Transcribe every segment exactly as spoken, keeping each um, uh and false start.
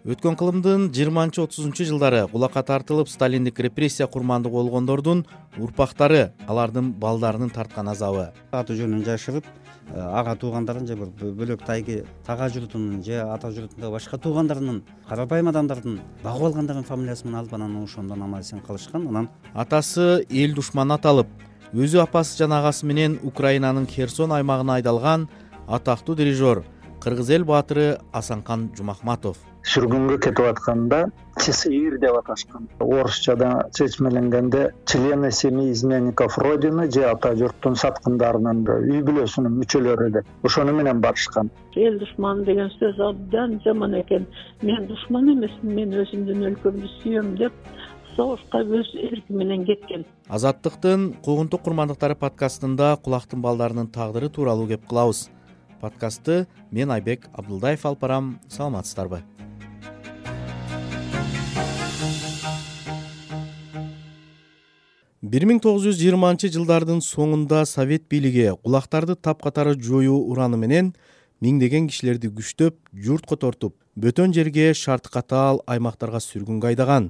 Өткөн кылымдын жыйырманчы отузунчу жылдары кулакка тартылып сталиндик репрессия курмандыгы болгондордун урпактары алардын балдарынын тарткан азабы. Аты жөнүн жашырып, ага туугандарын же бир бөлөк тайги тага журтунун же ата журтундагы башка туугандарынын, карапайым адамдардын багып алгандарынын фамилиясы менен алып, анан ошондон аман эсен калышкан. Анан атасы эл душманы аталып, өзү апасы жана агасы менен Украинанын Херсон аймагына айдалган атактуу дирижер кыргыз эл баатыры Асанкан Жумахматов сүргүнгө кетип атканда ЧСИР деп аташкан. Орусчада чечмеленгенде члены семьи изменников Родины же ата журттун саткындарынын үй бүлөсүнүн мүчөлөрү деп ошону менен барышкан. Эл душманы деген сөз абдан жаман экен. Мен душман эмесмин, мен өзүмдүн өлкөмдү сүйөм деп согушка өз эрки менен кеткен. Азаттыктын куугунтук курмандыктары подкастында кулактын балдарынын тагдыры тууралуу кеп кылабыз. Подкастты мен Айбек Абдулдаев алып барам. Саламатсыздарбы? бир миң тогуз жүз жыйырманчы жылдардын соңунда Совет бийлиги кулактарды тапкатары жоюу ураны менен миңдеген кишилерди күчтөп, журтко тортуп, бөтөн жерге шарты катаал аймактарга сүргүнгө айдаган.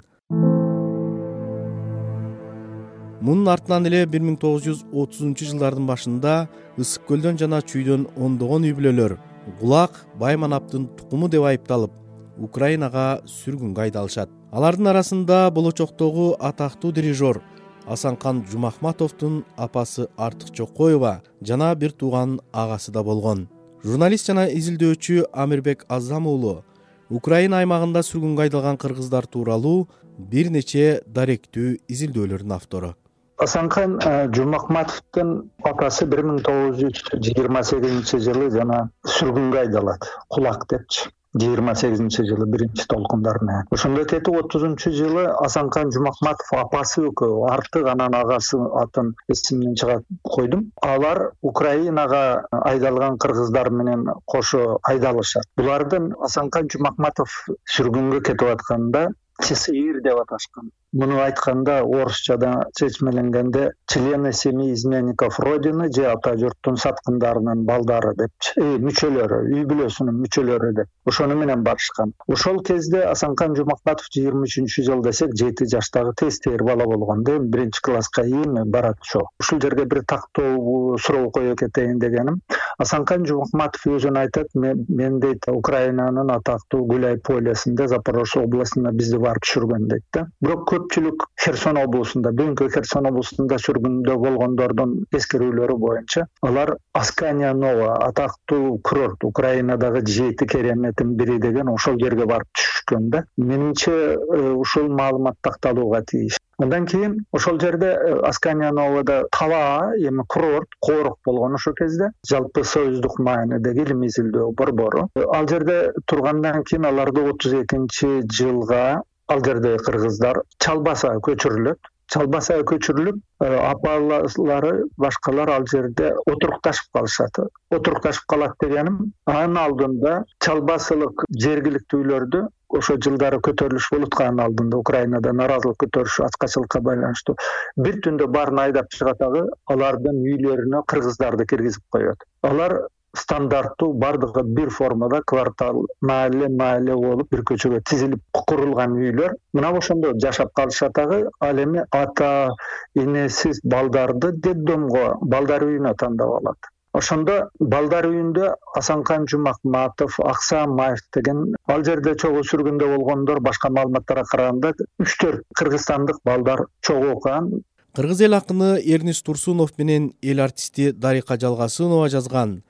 Мунун артынан эле бир миң тогуз жүз отузунчу жылдардын башында Ысык көлдөн жана Чүйдөн ондогон үй бүлөлөр Гулак Байманаптын тукуму деп айыпталып, Украинага сүргүнгө айдалышат. Алардын арасында болочоктогу атактуу дирижер Асанкан Жумахматовдун апасы Артык Чокоева жана бир тууган агасы да болгон. Журналист жана изилдөөчү Амирбек Азам уулу Украина аймагында сүргүнгө айдалган кыргыздар тууралуу бир нече даректүү изилдөөлөрдүн автору. Асанкан Жумахматовдун апасы бир миң тогуз жүз жыйырма сегизинчи жылы жана сүргүнгө айдалат. Кулак депчи. жыйырма сегизинчи жылы биринчи толкундар менен. Ошондой кетип отузунчу жылы Асанкан Жумахматов апасы экөө, Артык анан агасы атын эсимден чыгат койдум. Алар Украинага айдалган кыргыздар менен кошо айдалышат. Булардын Асанкан Жумахматов сүргүнгө кетип атканда ЧСИР деп аташкан. Муну айтканда орусчада чечмеленгенде члены семьи изменников Родины же ата журттун саткындарынын балдары депчи, э, мүчөлөрү, үй бүлөсүнүн мүчөлөрү деп ошону менен барышкан. Ошол кезде Асанкан Жумахматов жыйырма үчүнчү жыл десек жети жаштагы тестер бала болгон, эми биринчи класска эми барат ошо. Ушул жерге бир тактоо суроо коюп кетейин дегеним. Асанкан Жумахматов өзүн айтат, мен дейт Украинанын атактуу Гуляй полесинде Запорожье областына бизди барып түшүргөн дейт да. Бирок көпчүлүк Херсон облусунда, бүгүнкү Херсон облусунда сүргүндө болгондордун эскерүүлөрү боюнча алар Аскания Нова атактуу курорт, Украинадагы жети кереметтин бири деген ошол жерге барып түшүшкөн да. Менимче ушул маалымат такталууга тийиш. Андан кийин ошол жерде Аскания Новада таба, эми курорт, корук болгон ошол кезде, жалпы союздук маанидеги илимий изилдөө борбору. Ал жерде тургандан кийин аларды отуз экинчи жылга ал жердеги кыргыздар Чалбасага көчүрүлөт. Чалбасага көчүрүлүп, апалары, башкалар ал жерде отурукташып калышат. Отурукташып калат дегеним, анын алдында Чалбасылык жергиликтүүлөрдү ошо жылдары көтөрүлүш болуп атканын алдында Украинада наразылык көтөрүш ачкачылыкка байланыштуу бир түндө баарын айдап чыгатагы алардын үйлөрүнө кыргыздарды киргизип коёт. Алар стандарттуу бардыгы бир формада квартал, маале маале болуп бир көчөгө тизилип курулган үйлөр. Мына ошондо жашап калышатагы, ал эми ата энесиз балдарды детдомго, балдар үйүнө тандап алат. Ошондо балдар үйүндө Асанкан Жумахматов, Аксамаев деген ал жерде чогуу сүргүндө болгондор башка маалыматтарга караганда үч төрт кыргызстандык балдар чогуу окуган. Кыргыз эл акыны Эрнис Турсунов менен эл артисти Дарика Жалгасынова жазган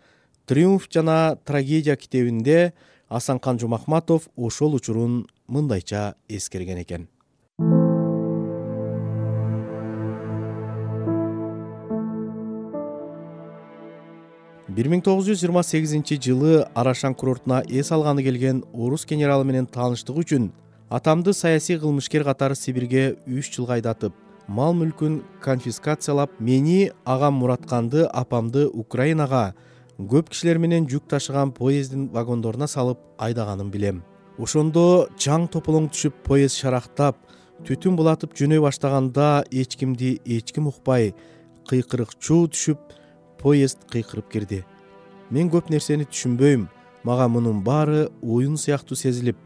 «Триумф жана трагедия» китебинде Асанкан Жумахматов ошол учурун мындайча эскерген экен. бир миң тогуз жүз жыйырма сегизинчи жылы Арашан курортуна эс алганы келген орус генералы менен тааныштык үчүн атамды саясий кылмышкер катары Сибирге үч жылга айдатып, мал мүлкүн конфискациялап, мени, агам Муратканды, апамды Украинага көп кишилер менен жүк ташыган поезддин вагондоруна салып айдаганын билем. Ошондо чаң тополоң түшүп, поезд шарактап, түтүн булатып жөнөй баштаганда эч кимди эч ким укпай, кыйкырыкчуу түшүп, поезд кыйкырып кирди. Мен көп нерсени түшүнбөйм, мага мунун баары оюн сыяктуу сезилип,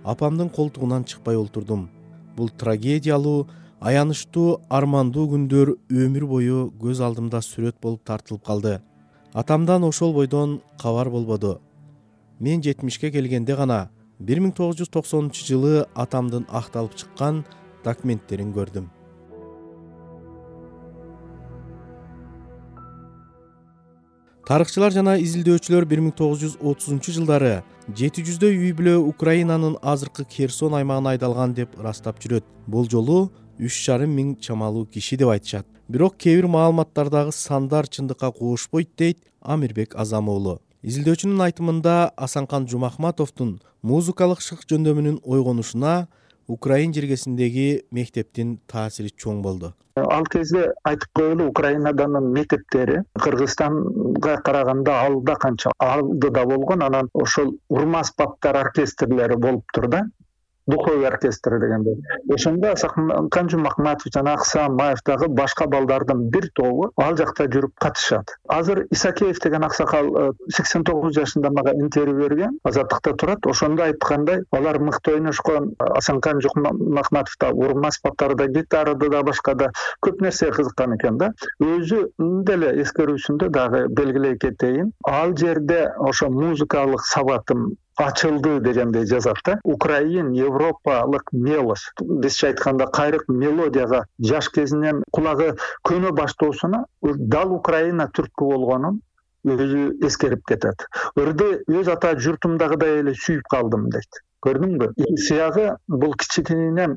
апамдын колтугунан чыкпай олтурдум. Бул трагедиялуу, аянычтуу, армандуу күндөр өмүр бою көз алдымда сүрөт болуп тартылып калды. Атамдан ошол бойдон кабар болбоду. Мен жетимишке келгенде гана бир миң тогуз жүз токсонунчу жылы атамдын акталып чыккан документтерин көрдүм. Тарыхчылар жана изилдөөчүлөр бир миң тогуз жүз отузунчу жылдары жети жүздөй үй бүлө Украинанын азыркы Херсон аймагына айдалган деп ырастап жүрөт. Бул жолу үч жарым миң чамалуу киши деп айтышат. Бирок кээ бир маалыматтардагы сандар чындыкка куушпойт дейт Амирбек Азам уулу. Изилдөөчүнүн айтымында Асанкан Жумахматовдун музыкалык шык жөндөмүнүн ойгонушуна Украин жергесиндеги мектептин таасири чоң болду. Ал кезде айтып коелу, Украинаданын мектептери Кыргызстанга караганда алда канча алдыда болгон, анан ошол урма аспаптар оркестрлери болуптур да. Духовый оркестр дегенде. Ошондо Асанкан Жумахматов жана Аксамаев дагы башка балдардын бир тобу ал жакта жүрүп катышат. Азыр Исакеев деген аксакал сексен тогуз жашында мага интервью берген, Азаттыкта турат. Ошондо айткандай, алар мыкты ойношкон. Асанкан Жумахматов да урма аспаптарда, гитарада да башка да көп нерсе кызыккан экен да. Өзү деле эскерүүсүндө дагы белгилей кетейин. Ал жерде ошо музыкалык сабатым ачылды дегендей жазат да. Украин европалык мелош, бизче айтканда кайрык мелодияга жаш кезинен кулагы көнө баштоосуна дал Украина түрткү болгонун өзү эскерип кетет. Ырды өз ата журтумдагыдай эле сүйүп калдым дейт. Көрдүңбү? Сыягы бул кичинен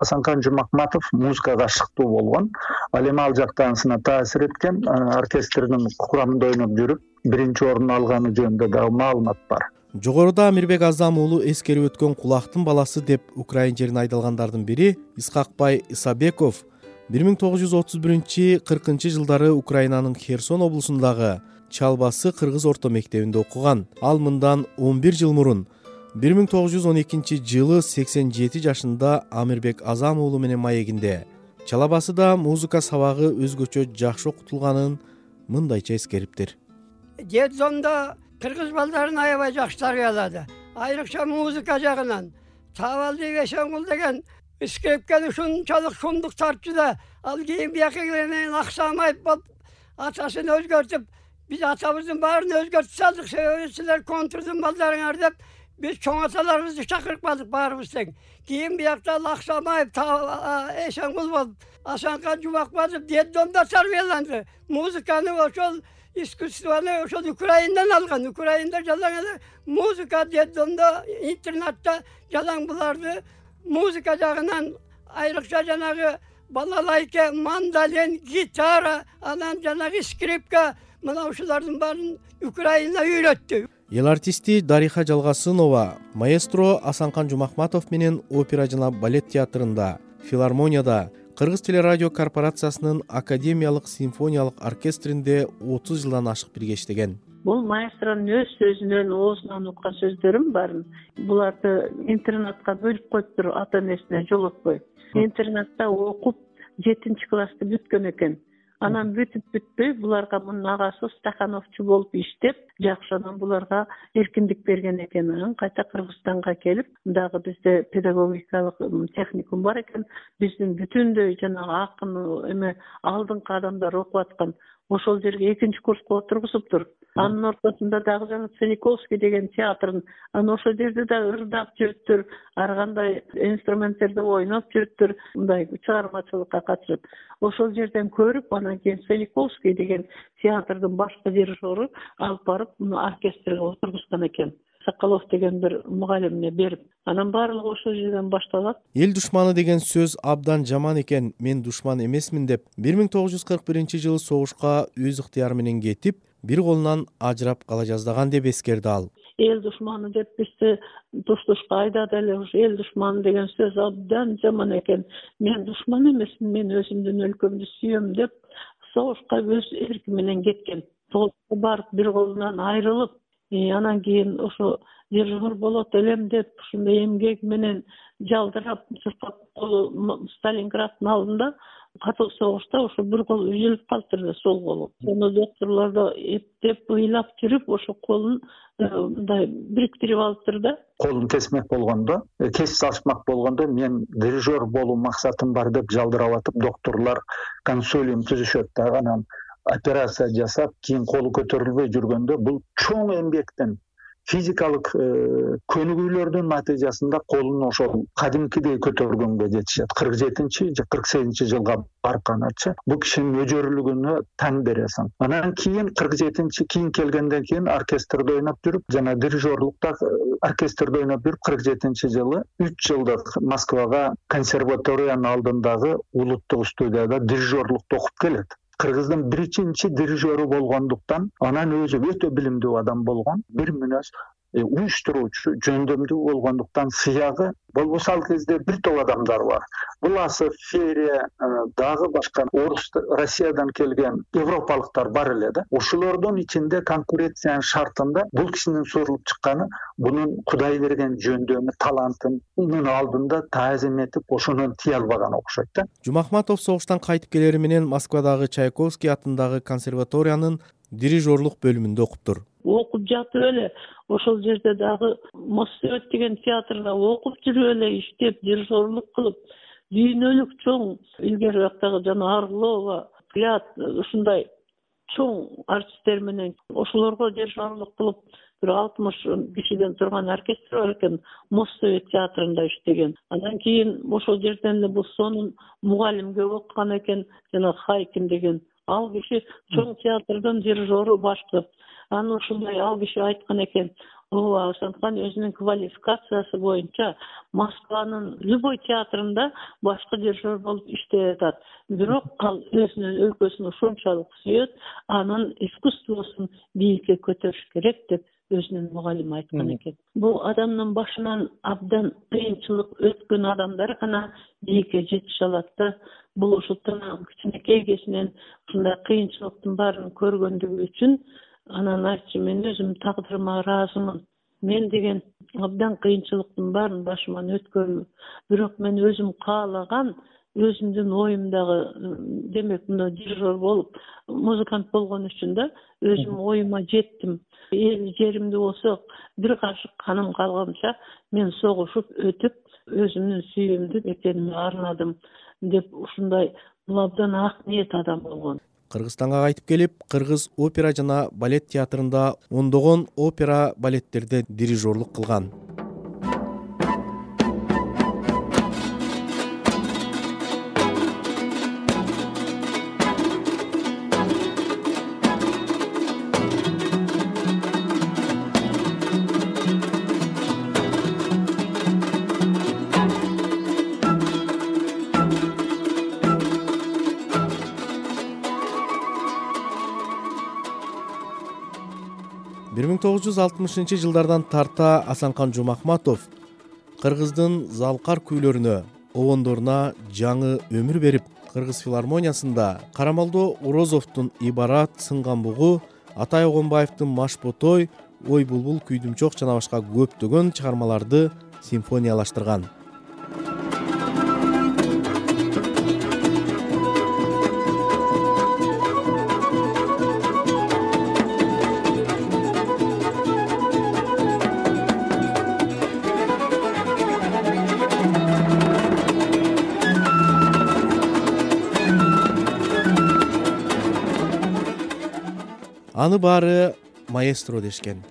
Асанкан Жумахматов музыкага шыктуу болгон. Ал эми ал жактансына таасир эткен, оркестрдин курамында ойноп жүрүп, биринчи орун алганы жөнүндө дагы маалымат бар. Жогоруда Амирбек Азам уулу эскерип өткөн кулактын баласы деп Украин жерине айдалгандардын бири Исхакбай Исабеков бир миң тогуз жүз отуз биринчи кыркынчы жылдары Украинанын Херсон облусундагы Чалбасы кыргыз орто мектебинде окуган. Ал мындан он бир жыл мурун бир миң тогуз жүз он экинчи жылы сексен жети жашында Амирбек Азам уулу менен маегинде Чалабасыда музыка сабагы өзгөчө жакшы окутулганын мындайча эскериптир. Детдомдо кыргыз балдарын аябай жакшы тарбиялады. Айрыкча музыка жагынан. Табалдиев Эшенгул деген скрипкени ушунчалык шумдук тартчу да, ал кийин бияка келгенден Аксамаев болуп атасын өзгөртүп, биз атабыздын баарын өзгөртүп салдык. Силер контрдун балдарыңар деп биз чоң аталарыбызды чакырып калдык баарыбыз тең. Кийин биякта Аксамаев, Эшенгул болуп, Асанкан Жумахматов детдомдо тарбияланды. Музыканы ошол искусствону ошол Украиндан алган. Украинда жалаң эле музыка детдомдо, интернатта жалаң буларды музыка жагынан айрыкча жанагы балалайка, мандолин, гитара, анан жанагы скрипка, мына ушулардын баарын Украина үйрөттү. Эл артисти Дариха Жалгасынова маэстро Асанкан Жумахматов менен опера жана балет театрында, филармонияда, Кыргыз телерадио корпорациясынын академиялык симфониялык оркестринде отуз жылдан ашык бирге иштеген. Бул маэстронун өз сөзүнөн, оозунан уккан сөздөрүм барын. Буларды интернатка бөлүп коюптур, ата энесине жолотпой. Интернатта окуп жетинчи классты бүткөн экен. Анан бүтүп бүтпөй буларга мунун агасы стахановчу болуп иштеп, жакшы анан буларга эркиндик берген экен. Анан кайта Кыргызстанга келип, дагы бизде педагогикалык техникум бар экен. Биздин бүтүндөй жанагы акын эме алдыңкы адамдар окуп аткан. Ошол жерге экинчи курска отургузуптур. Анын ортосунда дагы жана Цениковский деген театрын, анан ошол жерде да ырдап жүрүптүр, ар кандай инструменттерди ойноп жүрүптүр, мындай чыгармачылыкка катышып. Ошол жерден көрүп, анан кийин Цениковский деген театрдын башкы дирижеру алып барып, муну оркестрге отургузган экен. Соколов деген бир мугалимине берип, анан баардыгы ошол жерден башталат. Эл душманы деген сөз абдан жаман экен, мен душман эмесмин деп бир миң тогуз жүз кырк биринчи жылы согушка өз ыктыяры менен кетип, бир колунан ажырап кала жаздаган деп эскерди ал. Эл душманы деп бизди туш-тушка айдады эле. Ушу эл душманы деген сөз абдан жаман экен. Мен душман эмесмин, мен өзүмдүн өлкөмдү сүйөм деп согушка өз эрки менен кеткен. Согушка барып бир колунан айрылып, анан кийин ошо дирижер болот элем деп ушундай эмгек менен жалдырап, чуркап Сталинграддын алдында катуу согушта ошо бир колу үзүлүп калыптыр да, сол колу. Сону докторлор да эптеп ыйлап жүрүп ошо колун мындай бириктирип алыптыр да. Колун кесмек болгондо, кесип салышмак болгондо мен дирижер болуу максатым бар деп жалдырап атып, докторлор консилиум түзүшөт да, анан операция жасап, кийин колу көтөрүлбөй жүргөндө бул чоң эмгектен, физикалык көнүгүүлөрдүн натыйжасында колун ошол кадимкидей көтөргөнгө жетишет. кырк жетинчи же кырк сегизинчи жылга барганчы бул кишинин өжөрүлүгүнө таң бересиң. Анан кийин кырк жетинчи кийин келгенден кийин оркестрде ойноп жүрүп, жана дирижерлукта оркестрде ойноп жүрүп, кырк жетинчи жылы үч жылдык Москвага консерваториянын алдындагы улуттук студияда дирижерлукту окуп келет. Кыргыздын биринчи дирижеру болгондуктан, анан өзү өтө билимдүү адам болгон, бир мүнөз уюштуруучу, жөндөмдүү болгондуктан сыягы болбосо ал кезде бир топ адамдар бар. Буласов, Ферия, дагы башка орус, Россиядан келген европалыктар бар эле да. Ошолордун ичинде конкуренциянын шартында бул кишинин сурулуп чыкканы, бунун Кудай берген жөндөмү, талантынын алдында таазим этип, ошонун тие албаган окшойт да. Жумахматов согуштан кайтып келери менен Москвадагы Чайковский атындагы консерваториянын дирижерлук бөлүмүндө окуптур. Окуп жатып эле ошол жерде дагы Моссовет деген театрда окуп жүрүп эле иштеп, дирижерлук кылып, дүйнөлүк чоң илгери жактагы жана Орлова, Клят ушундай чоң артисттер менен ошолорго дирижерлук кылып, бир алтымыш кишиден турган оркестр бар экен, Моссовет театрында иштеген. Андан кийин ошол жерден эле бул сонун мугалимге окуган экен, жана Хайкин деген. Ал киши чоң театрдын дирижеру башкы. Аны ушундай ал киши айткан экен, ооба, ошондуктан өзүнүн квалификациясы боюнча Москванын любой театрында башкы дирижер болуп иштей атат. Бирок ал өзүнүн өлкөсүн ушунчалык сүйөт, анын искусствосун бийикке көтөрүш керек деп өзүнүн мугалими айткан экен. Бул адамдын башынан абдан кыйынчылык өткөн адамдар гана бийикке жетише алат да. Бул ушул кичинекей кезинен ушундай кыйынчылыктын баарын көргөндүгү үчүн анан айтчу, мен өзүм тагдырыма ыраазымын. Мен деген абдан кыйынчылыктын баарын башыман өткөрмүн. Бирок мен өзүм каалаган, өзүмдүн оюмдагы, демек мына дирижер болуп, музыкант болгон үчүн да өзүм оюма жеттим. Эл жеримде болсо бир кашык каным калганча мен согушуп өтүп, өзүмдүн сүйүүмдү экениме арнадым деп ушундай бул абдан ак ниет адам болгон. Кыргызстанга кайтып келип, Кыргыз опера жана балет театрында ондогон опера балеттерде дирижерлук кылган. бир миң тогуз жүз алтымышынчы жылдардан тарта Асанкан Жумахматов Кыргыздын залкар күүлөрүнө, обондоруна жаңы өмүр берип, Кыргыз филармониясында Карамалдо Орозовдун Ибарат, Сынган бугу, Атай Огонбаевдин Машботой, Ой булбул, Күйдүмчок жана башка көптөгөн чыгармаларды симфониялаштырган. Аны баары маэстро дешкен.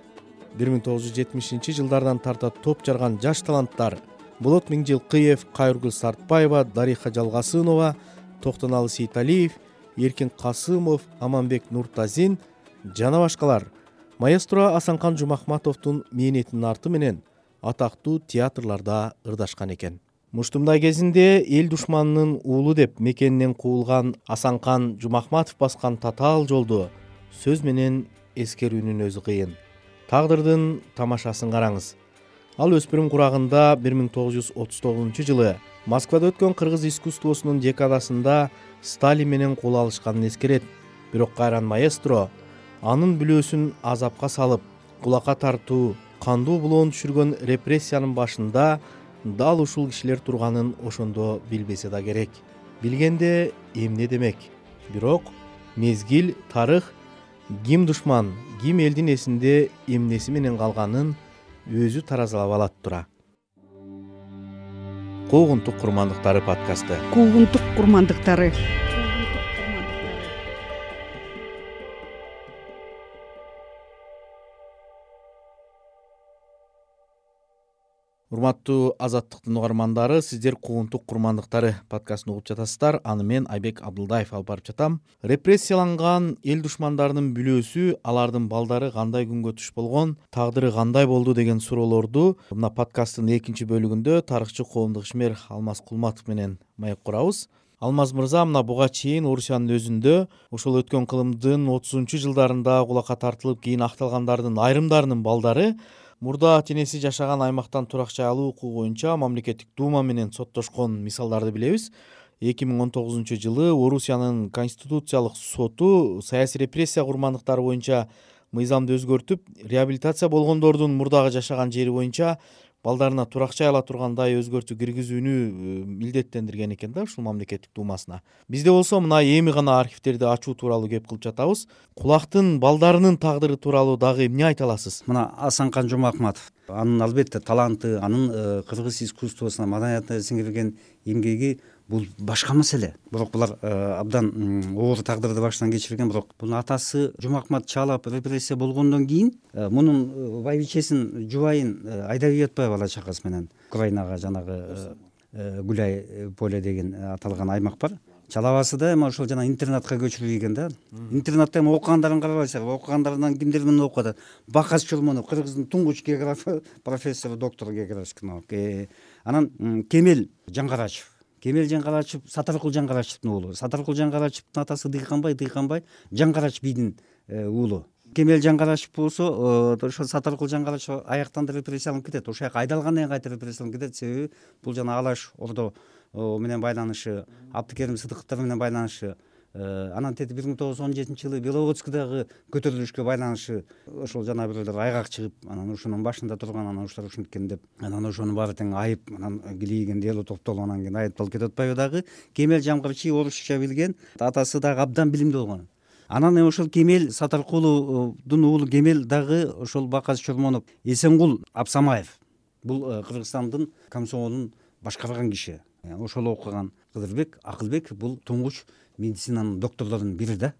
бир миң тогуз жүз жетимишинчи жылдардан тарта топ жарган жаш таланттар Болот Миңжилкыев, Кайыргүл Сартбаева, Дариха Жалгасынова, Токтоналы Сейталиев, Эркин Касымов, Аманбек Нуртазин жана башкалар маэстро Асанкан Жумахматовдун мээнетинин арты менен атактуу театрларда ырдашкан экен. Муштумдай кезинде эл душманынын уулу деп мекенинен куулган Асанкан Жумахматов баскан татаал жолду сөз менен эскерүүнүн өзү кыйын. Тагдырдын тамашасын караңыз. Ал өспүрүм курагында бир миң тогуз жүз отуз тогузунчу жылы Москвада өткөн кыргыз искусствосунун декадасында Сталин менен кол алышканын эскерет. Бирок кайран маэстро анын бүлөөсүн азапка салып, кулакка тартуу, кандуу булоон түшүргөн репрессиянын башында дал ушул кишилер турганын ошондо билбесе да керек. билгенде эмне демек. Бирок мезгил, тарых, ким душман, ким элдин эсинде эмнеси менен калганын өзү таразалап алат тура. Куугунтук курмандыктары подкасты. Куугунтук курмандыктары. Урматтуу Азаттыктын угармандары, сиздер Куугунтук курмандыктары подкастын угуп жатасыздар. Аны мен Айбек Абдылдаев алып барып жатам. Репрессияланган эл душмандарынын бүлөөсү, алардын балдары кандай күнгө туш болгон, тагдыры кандай болду деген суроолорду мына подкасттын экинчи бөлүгүндө тарыхчы коомдук ишмер Алмаз Кулматов менен маек курабыз. Алмаз мырза, мына буга чейин Орусиянын өзүндө ошол өткөн кылымдын отузунчу жылдарында кулакка тартылып кийин акталгандардын айрымдарынын балдары мурда ата-энеси жашаган аймактан турак жай алуу укугу боюнча мамлекеттик дума менен соттошкон мисалдарды билебиз. эки миң он тогузунчу жылы Орусиянын конституциялык соту саясий репрессия курмандыктары боюнча мыйзамды өзгөртүп, реабилитация болгондордун мурдагы жашаган жери боюнча балдарына турак жай ала тургандай өзгөртүү киргизүүнү милдеттендирген экен да ушул мамлекеттик думасына. Бизде болсо мына эми гана архивтерди ачуу тууралуу кеп кылып жатабыз. Кулактын балдарынын тагдыры тууралуу дагы эмне айта аласыз? Мына Асанкан Жумакматов, анын албетте таланты, анын кыргыз искусствосуна, маданиятына сиңирген эмгеги бул башка маселе. Бирок булар абдан оор тагдырды баштан кечирген, бирок бунун атасы Жумакмат Чалап репрессия болгондон кийин мунун байбичесин, жубайын айдап жатпай бала чакасы менен Украинага, жанагы Гуляй поле деген аталган аймак бар. Чалабасы да эми ошол жана интернатка көчүрүлгөн да. Интернатта эми окугандарын карабайсыздар, окугандарынан кимдер менен окуп атат? Бакас Чурмонов, Кыргыздын туңгуч географы, профессор, доктор географических наук. Анан Кемел Жаңгарачев. Кемел Жаңгарачев Сатаркул Жаңгарачевдин уулу. Сатаркул Жаңгарачевдин атасы Дыйканбай, Дыйканбай Жаңгарач бийдин уулу. Кемел Жаңгарачев болсо ошо Сатаркул Жаңгарачев аяктан да репрессияланып кетет. Ошол жака айдалгандан кийин кайта репрессияланып кетет. Себеби бул жана Алаш Ордо менен байланышы, Абдыкерим Сыдыктар менен байланышы, анан тети бир миң тогуз жүз он жетинчи жылы Беловодскийдагы көтөрүлүшкө байланышы ошол жана бирөөлөр айгак чыгып, анан ушунун башында турган, анан ушулар ушинткен деп, анан ошонун баары тең айып, анан килийген дело топтолуп, анан кийин айыпталып кетип атпайбы дагы. Кемел Жаңгарачи орусча билген, атасы дагы абдан билимдүү болгон. Анан ошол Кемел Сатаркулдун уулу Кемел дагы ошол Бакас Чурмонов, Эсенгул Абсамаев. Бул Кыргызстандын комсомолун башкарган киши. Ошол окуган Кыдырбек Акылбек бул туңгуч медицинанын докторлорунун бири да.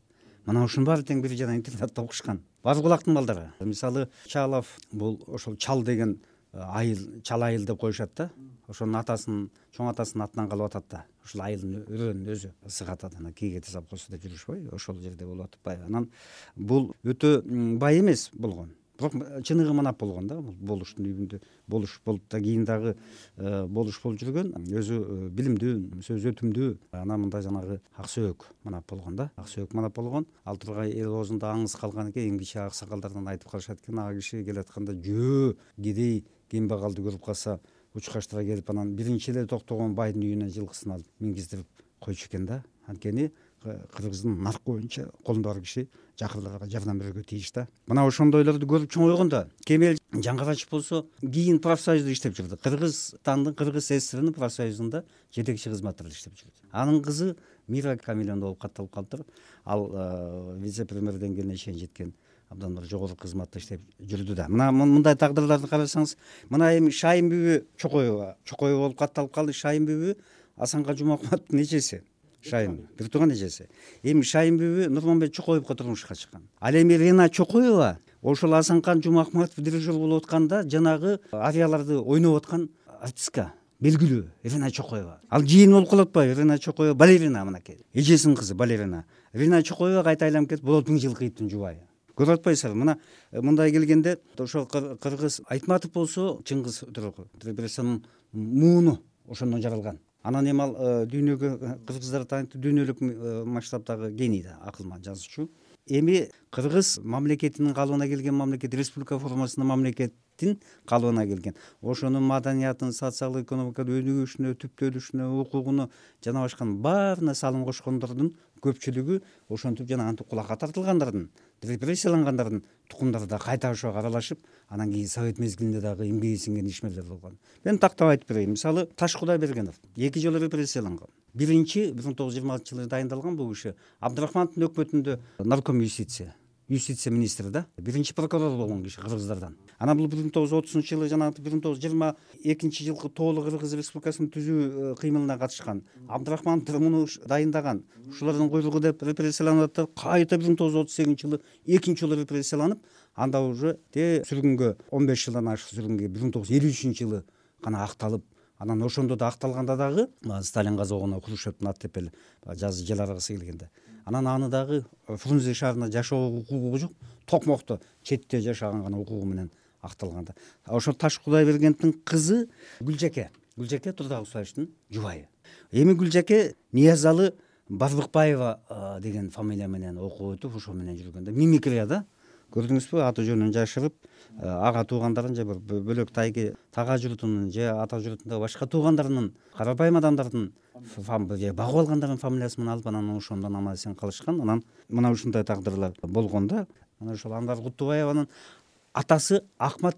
Мына ушунун баары тең бири жана интернатта окушкан. Бар кулактын балдары. Мисалы Чалов бул ошол Чал деген айыл, Чал айыл деп коюшат да. Ошонун атасынын, чоң атасынын атынан калып атат да. Ошол айылдын өрөөнүн өзү ысык атат, анан кийгете сапкосу деп жүрүшпөйбү? Ошол жерде болуп атпайбы? Анан бул өтө бай эмес болгон. Бирок чыныгы манап болгон да, болуштун үйүндө болуш болуп да кийин дагы болуш болуп жүргөн, өзү билимдүү, сөз өтүмдүү. Анан мында жанагы Аксөөк манап болгон да, Аксөөк манап болгон. Ал тургай эл оозунда аңыз калган экен, эң кичи аксакалдардан айтып калышат экен, ага киши келатканда жөө кедей кембагалды көрүп калса учкаштыра келип, анан биринчи эле токтогон байдын үйүнө жылкысын алып мингиздирип койчу экен да. Анткени Кыргыздын наркы боюнча колунда бар киши жакырларга жардам берүүгө тийиш да. Мына ошондойлорду көрүп чоңойгон да. Кемел Жаңгарачев болсо кийин профсоюзда иштеп жүрдү. Кыргызстандын Кыргыз ССРнин профсоюзунда жетекчи кызматтарда иштеп жүрдү. Анын кызы Мира Камиловна болуп катталып калыптыр. Ал вице-премьер деңгээлине чейин жеткен абдан бир жогорку кызматта иштеп жүрдү да. Мына мындай тагдырларды карасаңыз, мына эми Шайын бүбү Чокоева, Чокоева болуп катталып калды. Шайын бүбү Асанкан Жумакматовдун эжеси. Шайын бир тууган эжеси. Эми Шайын бүбү Нурманбет Чокоевго турмушка чыккан. Ал эми Рина Чокоева ошол Асанкан Жумакматов дирижер болуп атканда жанагы арияларды ойноп аткан артистка, белгилүү Рина Чокоева. Ал жыйын болуп калып атпайбы? Рина Чокоева балерина мынакей. Эжесинин кызы балерина. Рина Чокоева кайта айланып кетип, Болот Миңжилкыевдин жубайы. Көрүп атпайсызбы? Мына мындай келгенде ошол Кыргыз Айтматов болсо Чыңгыз Төрөкулов, репрессиянын мууну ошондон жаралган. Анан эми ал дүйнөгө кыргыздар таанытты, дүйнөлүк масштабдагы гений да, акылман жазуучу. Эми Кыргыз мамлекетинин калыбына келген мамлекет, республика формасынын мамлекеттин калыбына келген. Ошонун маданиятын, социалдык экономикалык өнүгүшүнө, түптөлүшүнө, укугуна жана башканын баарына салым кошкондордун көпчүлүгү ошентип жана антип кулакка тартылгандардын, репрессиялангандардын тукумдары да кайта ошого аралашып, анан кийин совет мезгилинде дагы эмгеги сиңген ишмерлер болгон. Мен тактап айтып берейин. Мисалы Таш Кудайбергенов эки жолу репрессияланган. биринчи бир миң тогуз жүз жыйырма алтынчы жылы дайындалган бул киши Абдрахмановдун өкмөтүндө нарком юстиция юстиция министри да, биринчи прокурор болгон киши кыргыздардан. Анан бул бир миң тогуз жүз отузунчу жылы жанагы бир миң тогуз жүз жыйырма экинчи жылкы тоолуу Кыргыз Республикасынын түзүү кыймылына катышкан. Абдрахманов муну дайындаган. Ушулардын куйругу деп репрессияланып атып, кайта бир миң тогуз жүз отуз сегизинчи жылы экинчи жолу репрессияланып, анда уже те сүргүнгө он беш жылдан ашык сүргүнгө бир миң тогуз жүз элүү үчүнчү жылы гана акталып, анан ошондо да акталганда дагы Сталин казогуна Хрущевдун ат тепели жазы жел аргысы келгенде анан аны дагы Фрунзе шаарына жашоо укугу жок, Токмокто четте жашаган гана укугу менен акталганда. Ошо Таш Кудайбергеновдун кызы Гүлжаке, Гүлжаке Турдагусаевичтин жубайы. Эми Гүлжаке Ниязалы Барбыкбаева деген фамилия менен окуп өтүп, ошо менен жүргөндө мимикрия да. Көрдүңүзбү, аты жөнүн жашырып, ага туугандарын же бир бөлөк тайги тага журтунун же ата журтундагы башка туугандарынын, карапайым адамдардын багып алгандардын фамилиясы менен алып, анан ошондон аман эсен калышкан. Анан мына ушундай тагдырлар болгон да. Мына ошол Анвар Кутубаеванын атасы Ахмат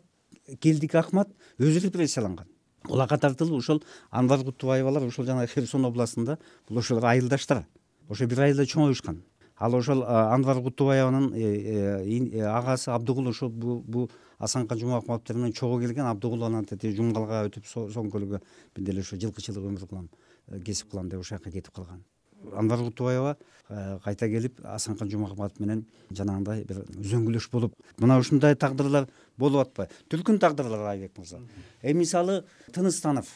Келдик Ахмат өзү репрессияланган. Кулакка тартылып, ошол Анвар Кутубаевалар ошол жана Херсон областында бул ошолор айылдаштар. Ошо бир айылда чоңоюшкан. Ал ошол Анвар Кутубаеванын агасы Абдыгул ошол бул Асанкан Жумакматов менен чогуу келген. Абдыгул анан тете Жумгалга өтүп, Соң көлүгө бир деле ошо жылкычылык өмүр кылам, кесип кылам деп ошол жака кетип калган. Анвар Кутубаева кайта келип Асанкан Жумакматов менен жанагындай бир үзөңгүлөш болуп, мына ушундай тагдырлар болуп атпайбы? Түркүн тагдырлары Айбек мырза. Эми мисалы Тыныстанов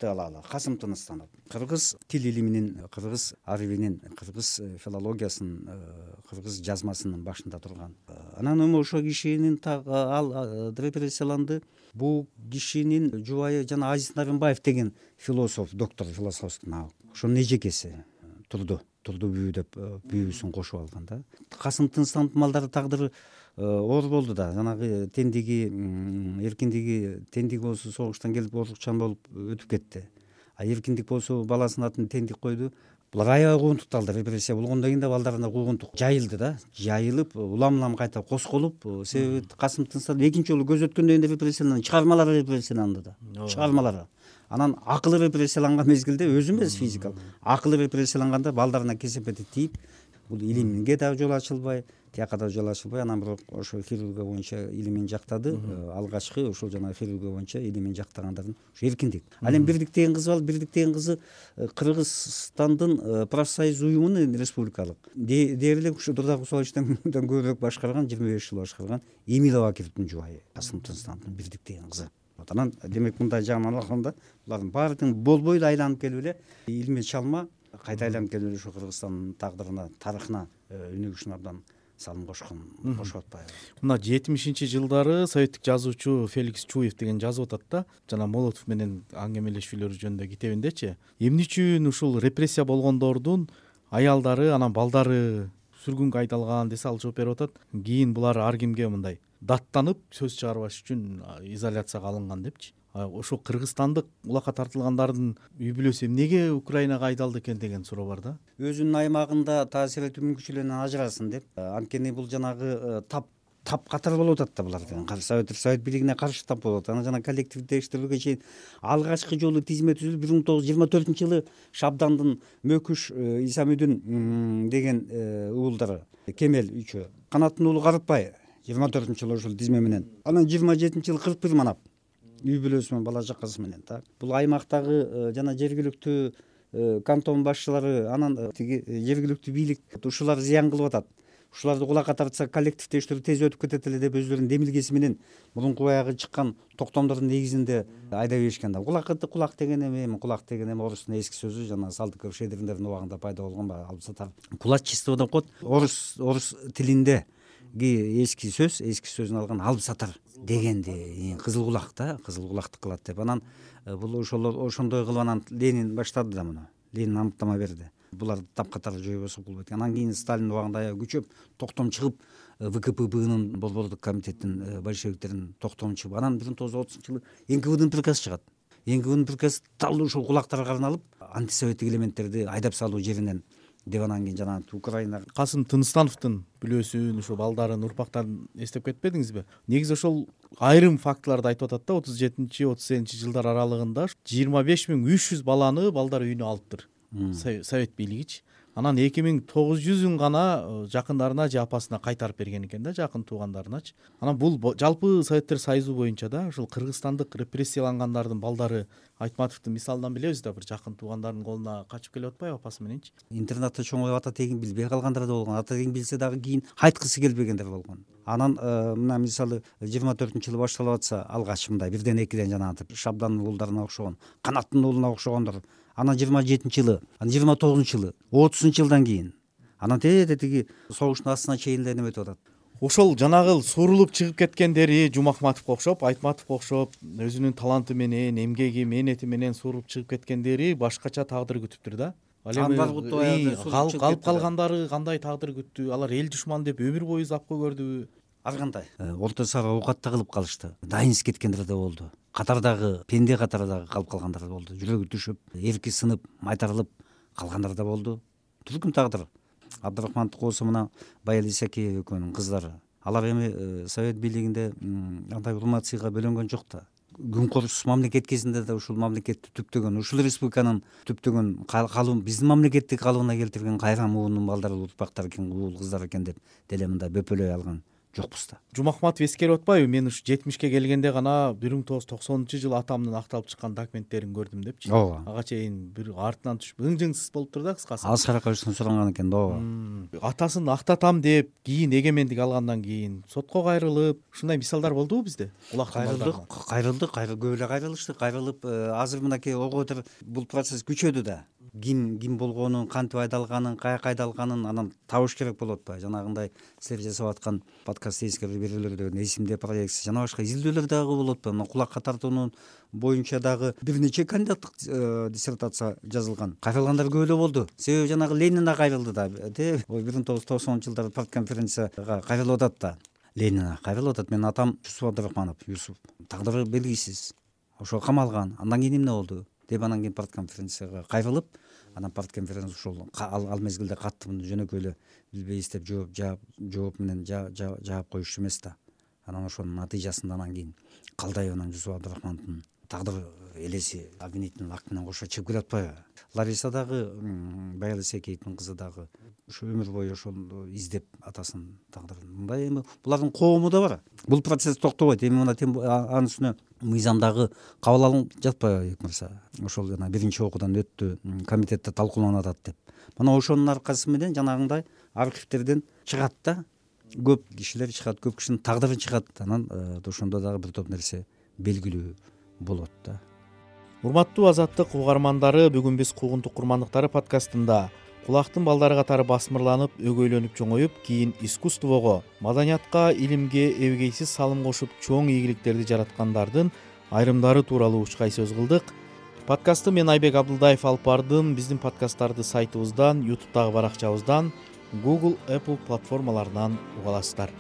алалы, Касым Тыныстанов кыргыз тил илиминин, кыргыз арабинин, кыргыз филологиясынын, кыргыз жазмасынын башында турган. Анан эми ошол кишинин ал репрессияланды. Бул кишинин жубайы жана Азиз Нарымбаев деген философ, доктор философских наук. Ошонун эжекеси Турду, Турду бүү деп бүүсүн кошуп алган да. Касым Тыныстановдун малдары тагдыры оор болду да. Жанагы тендиги, эркиндиги, тендик болсо согуштан келип орукчан болуп өтүп кетти. А эркиндик болсо баласынын атын тендик койду. Булар аябай куугунтукталды. Репрессия болгондон кийин да балдарына куугунтук жайылды да. Жайылып, улам-улам кайта косколуп, себеби Касым Тыныстанов экинчи жолу көз өткөндөн кийин репрессияланды, чыгармалары репрессияланды да. Чыгармалары. Анан акылы репрессияланган мезгилде өзү эмес физикалык, акылы репрессияланганда балдарына кесепети тийип, бул илимге да жол ачылбай, тияка да жол ачылбай, анан бирок ошо хирургия боюнча илимин жактады. Алгачкы ошол жана хирургия боюнча илимин жактагандардын ушу эркиндик. Ал эми Бирдик деген кызы бар. Бирдик деген кызы Кыргызстандын профсоюз уюмунун республикалык дээрлик ушу Турдагусаевичтен көбүрөөк башкарган, жыйырма беш жыл башкарган Эмил Абакировдун жубайы Касым Тыныстановдун Бирдик деген кызы. Анан демек мындай жагынан алганда булардын баардыгын болбой эле айланып келип эле илимий чалма кайта айланып келип эле ушу Кыргызстандын тагдырына, тарыхына өнүгүшүнө абдан салым кошкон, кошуп атпайбы? Мына жетимишинчи жылдары советтик жазуучу Феликс Чуев деген жазып атат да, жана Молотов менен аңгемелешүүлөр жөнүндө китебиндечи. Эмне үчүн ушул репрессия болгондордун аялдары, анан балдары сүргүнгө айдалган десе, ал жооп берип атат. Кийин булар ар кимге мындай даттанып сөз чыгарбаш үчүн изоляцияга алынган депчи. Ошо кыргызстандык улакка тартылгандардын үй бүлөсү эмнеге Украинага айдалды экен деген суроо бар да. Өзүнүн аймагында таасир этүү мүмкүнчүлүгүнөн ажырасын деп. Анткени бул жанагы тап тап катар болуп атат да булар деген. Совет Совет бийлигине каршы тап болуп атат. Анан жана коллективдик териштирүүгө чейин алгачкы жолу тизме түзүлүп бир миң тогуз жүз жыйырма төртүнчү жылы Шабдандын Мөкүш Исамүдүн деген уулдары Кемел үчөө, Канаттын уулу Карытбай жыйырма төртүнчү жылы ошол тизме менен. Анан жыйырма жетинчи жылы кырк бир манап үй бүлөсү менен, бала чакасы менен так. Бул аймактагы жана жергиликтүү кантон башчылары, анан тиги жергиликтүү бийлик ушулар зыян кылып атат. Ушуларды кулакка тартса коллектив териштирүү тез өтүп кетет эле деп өзүлөрүнүн демилгеси менен мурунку баягы чыккан токтомдордун негизинде айдап беришкен да. Кулак кулак деген эми кулак деген эми орустун эски сөзү, жана Салтыков Шедриндердин убагында пайда болгон баягы албысатар. Кулачество деп коет. Орус орус тилинде эски сөз, эски сөзүн алган албысатар дегенди, кызыл кулак да, кызыл кулакты кылат деп. Анан бул ошолор ошондой кылып анан Ленин баштады да муну. Ленин аныктама берди. Булар тапкатар жойбосо болбойт. Анан кийин Сталин убагында аябай күчөп токтом чыгып, ВКПБнын Борбордук комитеттин большевиктеринин токтом чыгып, анан бир миң тогуз жүз отузунчу жылы эн ка веддин приказ чыгат. эн ка веддин приказ дал ушул кулактарга арналып, антисоветтик элементтерди айдап салуу жеринен деп анан кийин жана Украина. Касым Тыныстановдун бүлөсүн, ушул балдарын, урпактарын эстеп кетпедиңизби? Негизи ошол айрым фактыларды айтып атат да, отуз жетинчи отуз сегизинчи жылдар аралыгында жыйырма беш миң үч жүз баланы балдар үйүнө алыптыр. совет бийлигичи. Анан эки миң тогуз жүзүн гана жакындарына же апасына кайтарып берген экен да, жакын туугандарыначы. Анан бул жалпы Советтер Союзу боюнча да ушул кыргызстандык репрессиялангандардын балдары Айтматовдун мисалынан билебиз да, бир жакын туугандарынын колуна качып келип атпайбы апасы мененчи. Интернатта чоңоюп ата тегин билбей калгандар да болгон, ата тегин билсе дагы кийин айткысы келбегендер болгон. Анан мына мисалы жыйырма төртүнчү жылы башталып атса, алгач мындай бирден экиден жанагы Шабдандын уулдарына окшогон, Канаттын уулуна окшогондор. Анан жыйырма жетинчи жылы, анан жыйырма тогузунчу жылы, отузунчу жылдан кийин анан тете тиги согуштун астына чейин эле неметип атат. Ошол жанагы сурулуп чыгып кеткендери Жумахматовго окшоп, Айтматовго окшоп, өзүнүн таланты менен, эмгеги, мээнети менен сурулуп чыгып кеткендери башкача тагдыр күтүптүр да. Ал эми калып калгандары кандай тагдыр күттү? Алар эл душман деп өмүр бою запкы көрдүбү? Ар кандай. Орто сара оокат да кылып калышты. Дайынсыз кеткендер да болду. Катардагы пенде катарындагы калып калгандар да болду. Жүрөгү түшүп, эрки сынып, майтарылып калгандар да болду. Түркүм тагдыр. Абдырахмантов болсо мына Баял Исакеева экөөнүн кыздары. Алар эми Совет бийлигинде андай урмат сыйга бөлөнгөн жок да. Күнкорсуз мамлекет кезинде да ушул мамлекетти түптөгөн, ушул республиканын түптөгөн калым, биздин мамлекетти калыбына келтирген кайран муунун балдары, урпактары экен, уул кыздар экен деп деле мындай бөпөлөй алган жокпуз да. Жумахматов эскерип атпайбы? Мен ушу жетимишке келгенде гана бир миң тогуз жүз токсонунчу жылы атамдын акталып чыккан документтерин көрдүм депчи. Ооба. Ага чейин бир артынан түшүп ың-жыңсыз болуптур да кыскасы. Аскар Акаевичтен суранган экен да. Ооба. Атасын актатам деп, кийин эгемендик алгандан кийин сотко кайрылып, ушундай мисалдар болдубу бизде? Кайрылдык, кайрылдык, көп эле кайрылышты. Кайрылып, азыр мынакей ого бетер бул процесс күчөдү да. Ким ким болгонун, кантип айдалганын, каяка айдалганын анан табыш керек болуп атпайбы? Жанагындай силер жасап аткан подкаст эскерүү берүүлөрдөн эсимде проекция жана башка изилдөөлөр дагы болуп атпайбы? Мына кулакка тартуунун боюнча дагы бир нече кандидаттык диссертация жазылган. Кайрылгандар көп эле болду. Себеби жанагы Ленин да кайрылды да, те. бир миң тогуз жүз токсонунчу жылдары партконференцияга кайрылып атат да. Ленин кайрылып атат. Менин атам Юсуп Абдырахманов, Юсуп. Тагдыры белгисиз. Ошо камалган. Андан кийин эмне болду? Деп анан кийин партконференцияга кайрылып, анан партконференция ушул ал мезгилде каттымын жөнөкөй эле билбейбиз деп жооп жаап жооп менен жаап коюшту эмес да. Анан ошонун натыйжасында анан кийин Калдаев анан Жусуп Абдырахмановдун тагдыр элеси обвинительный акт менен кошо чыгып келип атпайбы? Лариса дагы, Баял Исакеевдин кызы дагы ушу өмүр бою ошол издеп атасынын тагдырын. Мындай эми булардын коому да бар. Бул процесс токтобойт. Эми мына анын үстүнө мыйзамдагы кабыл алынып жатпайбы Бекмырза? Ошол жана биринчи окуудан өттү, комитетте талкууланып атат деп. Мына ошонун аркасы менен жанагындай архивтерден чыгат да. Көп кишилер чыгат, көп кишинин тагдыры чыгат. Анан ошондо дагы бир топ нерсе белгилүү болот да. Урматтуу Азаттык угармандары, бүгүн биз Куугунтук курмандыктары подкастында кулактын балдары катары басмырланып, өгөйлөнүп чоңоюп, кийин искусствого, маданиятка, илимге эбегейсиз салым кошуп, чоң ийгиликтерди жараткандардын айрымдары тууралуу учкай сөз кылдык. Подкастты мен Айбек Абдылдаев алып бардым. Биздин подкасттарды сайтыбыздан, YouTube'дагы баракчабыздан, Google, Apple платформаларынан уга аласыздар.